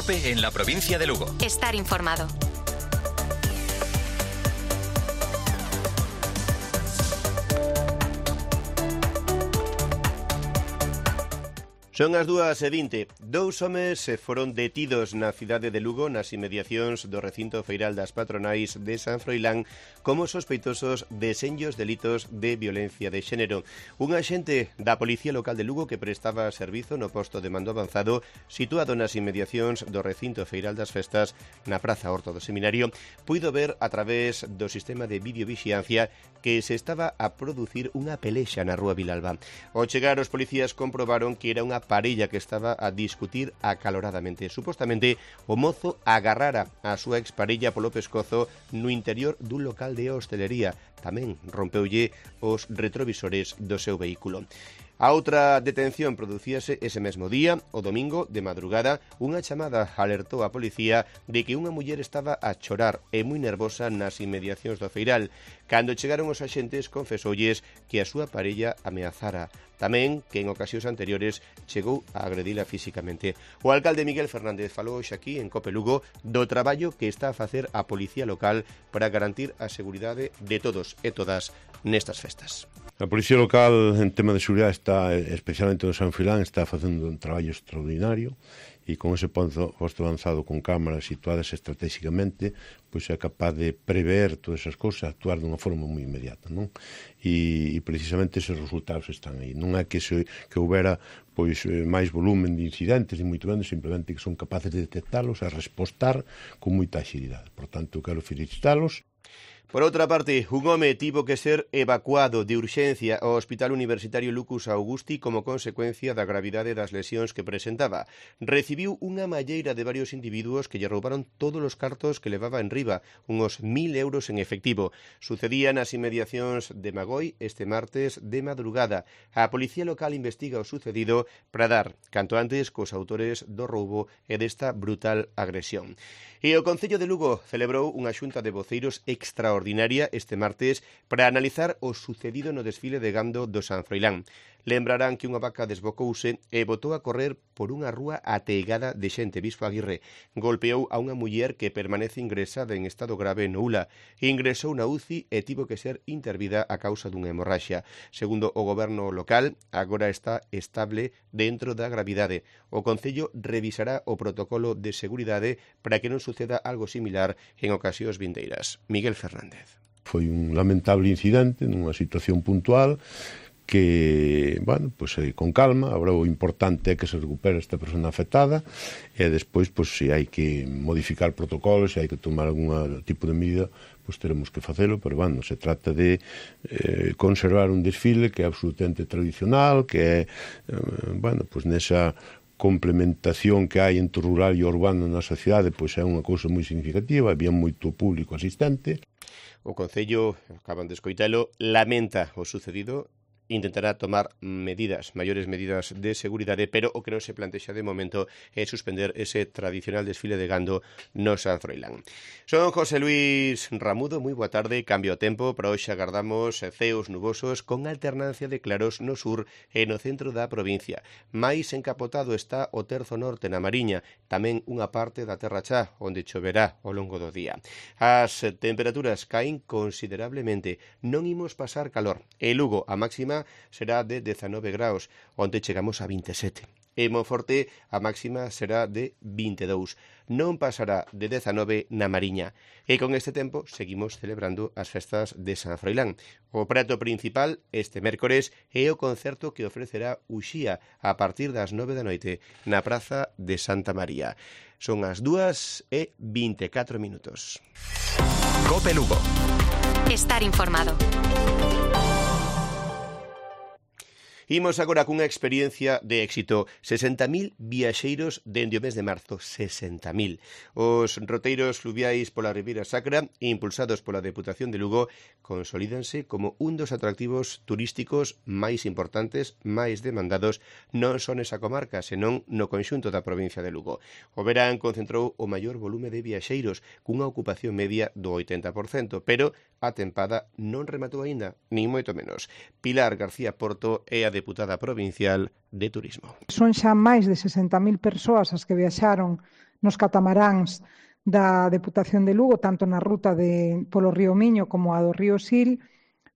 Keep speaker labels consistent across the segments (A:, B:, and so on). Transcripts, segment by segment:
A: COPE en la provincia de Lugo.
B: Estar informado.
C: Son as 2:20. Dous homes foron detidos na cidade de Lugo nas inmediacións do recinto feiral das patronais de San Froilán como sospeitosos de senllos delitos de violencia de xénero. Un axente da Policía Local de Lugo que prestaba servizo no posto de mando avanzado situado nas inmediacións do recinto feiral das festas na Praza Horto do Seminario puido ver a través do sistema de videovixiancia que se estaba a producir unha pelexa na Rúa Vilalba. Ao chegar os policías comprobaron que era unha parella que estaba a discutir acaloradamente. Supostamente, o mozo agarrara a súa exparella polo pescozo no interior dun local de hostelería. Tamén rompeulle os retrovisores do seu vehículo. A outra detención producíase ese mesmo día, o domingo, de madrugada, unha chamada alertou a policía de que unha muller estaba a chorar e moi nervosa nas inmediacións do feiral. Cando chegaron os axentes, confesoulles que a súa parella ameazara. Tamén que en ocasións anteriores chegou a agredila físicamente. O alcalde Miguel Fernández falou hoxe aquí en Cope Lugo do traballo que está a facer a Policía Local para garantir a seguridade de todos e todas nestas festas.
D: A Policía Local en tema de seguridade está, especialmente no San Froilán, está facendo un traballo extraordinario e con ese posto avanzado con cámaras situadas estratégicamente, pois é capaz de prever todas esas cousas, actuar dunha forma moi inmediata, non? E precisamente esos resultados están aí. Non é que houbera pois máis volumen de incidentes, ni moito menos, simplemente que son capaces de detectalos e respostar con moita axilidade. Por tanto, quero felicitalos.
C: Por outra parte, un home tivo que ser evacuado de urxencia ao Hospital Universitario Lucus Augusti como consecuencia da gravidade das lesións que presentaba. Recibiu unha malleira de varios individuos que lle roubaron todos os cartos que levaba en riba, unos 1.000 euros en efectivo. Sucedía nas inmediacións de Magoi este martes de madrugada. A Policía Local investiga o sucedido para dar canto antes cos autores do roubo e desta brutal agresión. E o Concello de Lugo celebrou unha xunta de voceiros extraordinaria este martes para analizar o sucedido no desfile de gando do San Froilán. Lembrarán que unha vaca desbocouse e botou a correr por unha rúa ateigada de xente. Bispo Aguirre golpeou a unha muller que permanece ingresada en estado grave no ULA. Ingresou na UCI e tivo que ser intervida a causa dunha hemorraxia. Segundo o goberno local, agora está estable dentro da gravidade. O Concello revisará o protocolo de seguridade para que non suceda algo similar en ocasións vindeiras. Miguel Fernández.
D: Foi un lamentable incidente nunha situación puntual que, bueno, pues, con calma, agora o importante é que se recupere esta persona afectada e despois, pues, se hai que modificar protocolos, se hai que tomar algún tipo de medida, pues teremos que facelo, pero, bueno, se trata de conservar un desfile que é absolutamente tradicional, que é, bueno, pues nesa complementación que hai entre o rural e o urbano na sociedade, pois é unha cousa moi significativa, había moito público asistente.
C: O Concello, acaban de escoitalo, lamenta o sucedido, intentará tomar maiores medidas de seguridade, pero o que non se plantexa de momento é suspender ese tradicional desfile de gando no San Froilán. Son José Luis Ramudo, moi boa tarde, cambio o tempo, para hoxe agardamos ceos nubosos con alternancia de claros no sur e no centro da provincia. Mais encapotado está o terzo norte na Mariña, tamén unha parte da Terra Chá, onde choverá ao longo do día. As temperaturas caen considerablemente, non imos pasar calor. En Lugo, a máxima será de 19 graus, onde chegamos a 27. En Monforte a máxima será de 22. Non pasará de 19 na Mariña. E con este tempo seguimos celebrando as festas de San Froilán. O prato principal este mércores é o concerto que ofrecerá Uxía a partir das 9 da noite na Praza de Santa María. Son as 2:24.
A: Cope Lugo.
B: Estar informado.
C: Imos agora cunha experiencia de éxito. 60.000 viaxeiros dende o mes de marzo. 60.000. Os roteiros fluviais pola Ribeira Sacra, impulsados pola Deputación de Lugo, consolídanse como un dos atractivos turísticos máis importantes, máis demandados, non só nesa comarca, senón no conxunto da provincia de Lugo. O verán concentrou o maior volume de viaxeiros, cunha ocupación media do 80%, pero a tempada non rematou aínda, nin moito menos. Pilar García Porto é a deputada provincial de Turismo.
E: Son xa máis de 60.000 persoas as que viaxaron nos catamaráns da Deputación de Lugo, tanto na ruta polo río Miño como a do río Sil.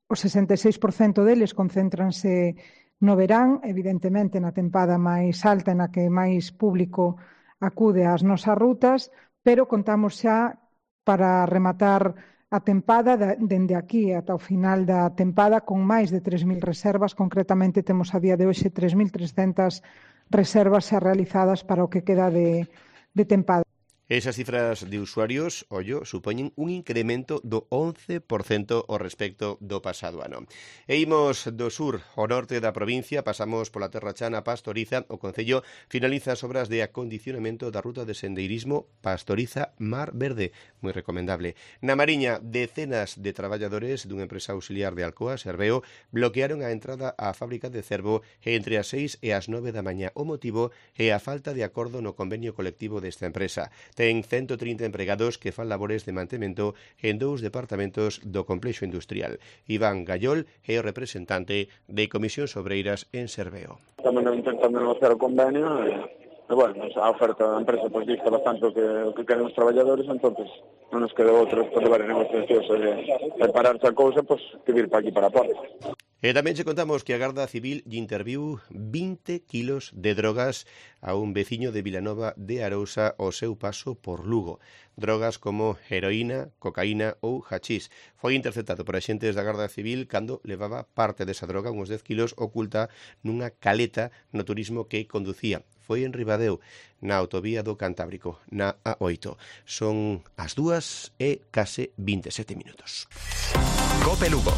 E: O 66% deles concéntranse no verán, evidentemente na tempada máis alta na que máis público acude ás nosas rutas, pero contamos xa para rematar a tempada dende aquí ata o final da tempada con máis de 3.000 reservas. Concretamente temos a día de hoxe 3.300 reservas xa realizadas para o que queda de tempada.
C: Esas cifras de usuarios, ollo, supoñen un incremento do 11% ao respecto do pasado ano. E imos do sur ao norte da provincia, pasamos pola Terra Chana Pastoriza. O Concello finaliza as obras de acondicionamento da ruta de sendeirismo Pastoriza Mar Verde, moi recomendable. Na Mariña, decenas de traballadores dunha empresa auxiliar de Alcoa, Serveo, bloquearon a entrada á fábrica de Cervo entre as 6 e as 9 da mañá. O motivo é a falta de acordo no convenio colectivo desta empresa. Ten 130 empregados que fan labores de mantemento en 2 departamentos do complexo industrial. Iván Gallol é o representante de Comisións Obreiras en Serveo.
F: Estamos intentando negociar o convenio e bueno, a oferta da empresa pois dista bastante o que queren os traballadores, entonces non nos queda outro por levar a negociacións e pararse a cousa, pois que vir para aquí para a porta.
C: E tamén che contamos que a Garda Civil interviu 20 kilos de drogas a un veciño de Vilanova de Arousa ao seu paso por Lugo. Drogas como heroína, cocaína ou hachís. Foi interceptado por axentes da Garda Civil cando levaba parte desa droga, uns 10 kilos, oculta nunha caleta no turismo que conducía. Foi en Ribadeo, na autovía do Cantábrico, na A8. Son as 2:27.
A: COPE Lugo.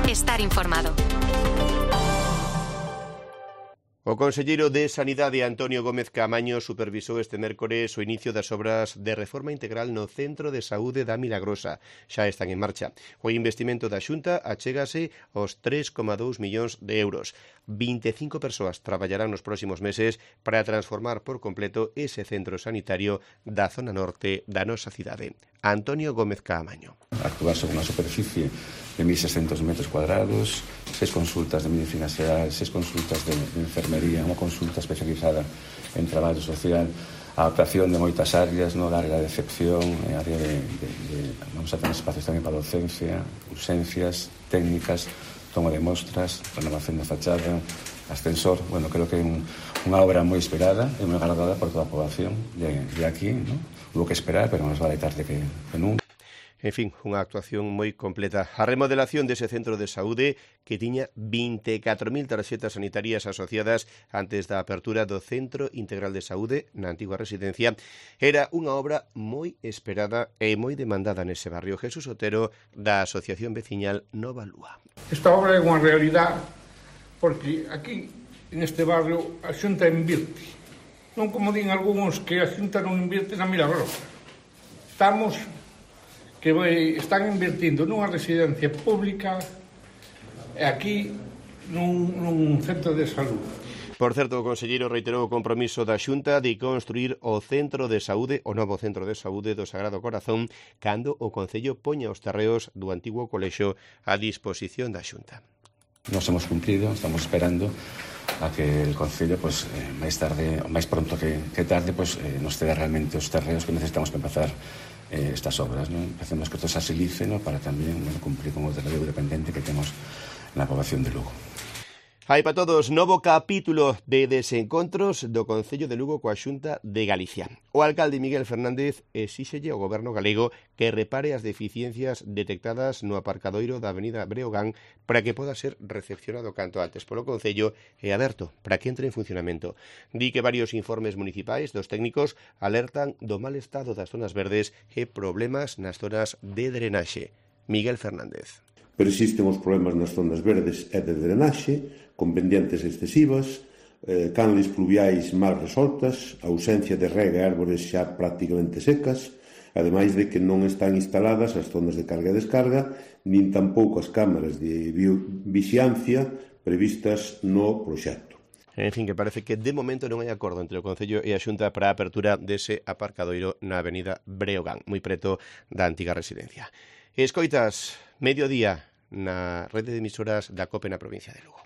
B: Estar informado.
C: O conselleiro de Sanidade, Antonio Gómez Caamaño, supervisou este mércores o inicio das obras de reforma integral no Centro de Saúde da Milagrosa. Xa están en marcha. O investimento da Xunta achégase aos 3,2 millóns de euros. 25 persoas traballarán nos próximos meses para transformar por completo ese centro sanitario da zona norte da nosa cidade. Antonio Gómez Caamaño.
G: Actuar sobre unha superficie de 1.600 metros cuadrados, 6 consultas de medicina xeral, 6 consultas de enfermería, unha consulta especializada en traballo social, a adaptación de moitas áreas, no, da área de excepción, área vamos a tener espacios tamén para docencia, urxencias, técnicas, toma de mostras, renovación da fachada, ascensor. Bueno, creo que é unha obra moi esperada e moi agradada por toda a poboación de aquí, ¿no? Hubo que esperar, pero máis vale tarde que nunca.
C: En fin, unha actuación moi completa. A remodelación dese centro de saúde que tiña 24.000 tarxetas sanitarias asociadas antes da apertura do Centro Integral de Saúde na antigua residencia era unha obra moi esperada e moi demandada nese barrio. Jesús Otero, da Asociación Veciñal Nova Lúa.
H: Esta obra é unha realidade porque aquí, neste barrio, a Xunta invirte. Non como din algúns que a Xunta non invirte na Milagrosa. Están invertindo nunha residencia pública e aquí nun centro de saúde.
C: Por certo, o conselleiro reiterou o compromiso da Xunta de construir o centro de saúde, o novo centro de saúde do Sagrado Corazón, cando o Concello poña os terreos do antigo colexio a disposición da Xunta.
G: Nos hemos cumprido, estamos esperando a que el Concello, pues, máis tarde, ou máis pronto que tarde, pues, nos ceda realmente os terreos que necesitamos para empezar estas obras, ¿no? Hacemos que todo se agilice, ¿no? Para tamén cumplir con o territorio dependente que temos na poboación de Lugo.
C: Hai para todos novo capítulo de desencontros do Concello de Lugo coa Xunta de Galicia. O alcalde Miguel Fernández exíxelle ao goberno galego que repare as deficiencias detectadas no aparcadoiro da avenida Breogán para que poda ser recepcionado canto antes polo Concello e aberto para que entre en funcionamento. Di que varios informes municipais dos técnicos alertan do mal estado das zonas verdes e problemas nas zonas de drenaxe. Miguel Fernández.
D: Persisten os problemas nas zonas verdes e de drenaxe, con pendientes excesivas, canles pluviais mal resoltas, ausencia de rega e árbores xa prácticamente secas, ademais de que non están instaladas as zonas de carga e descarga, nin tampouco as cámaras de vixiancia previstas no proxecto.
C: En fin, que parece que de momento non hai acordo entre o Concello e a Xunta para a apertura dese aparcadoiro na avenida Breogán, moi preto da antiga residencia. Escoitas, mediodía na rede de emisoras da COPE na provincia de Lugo.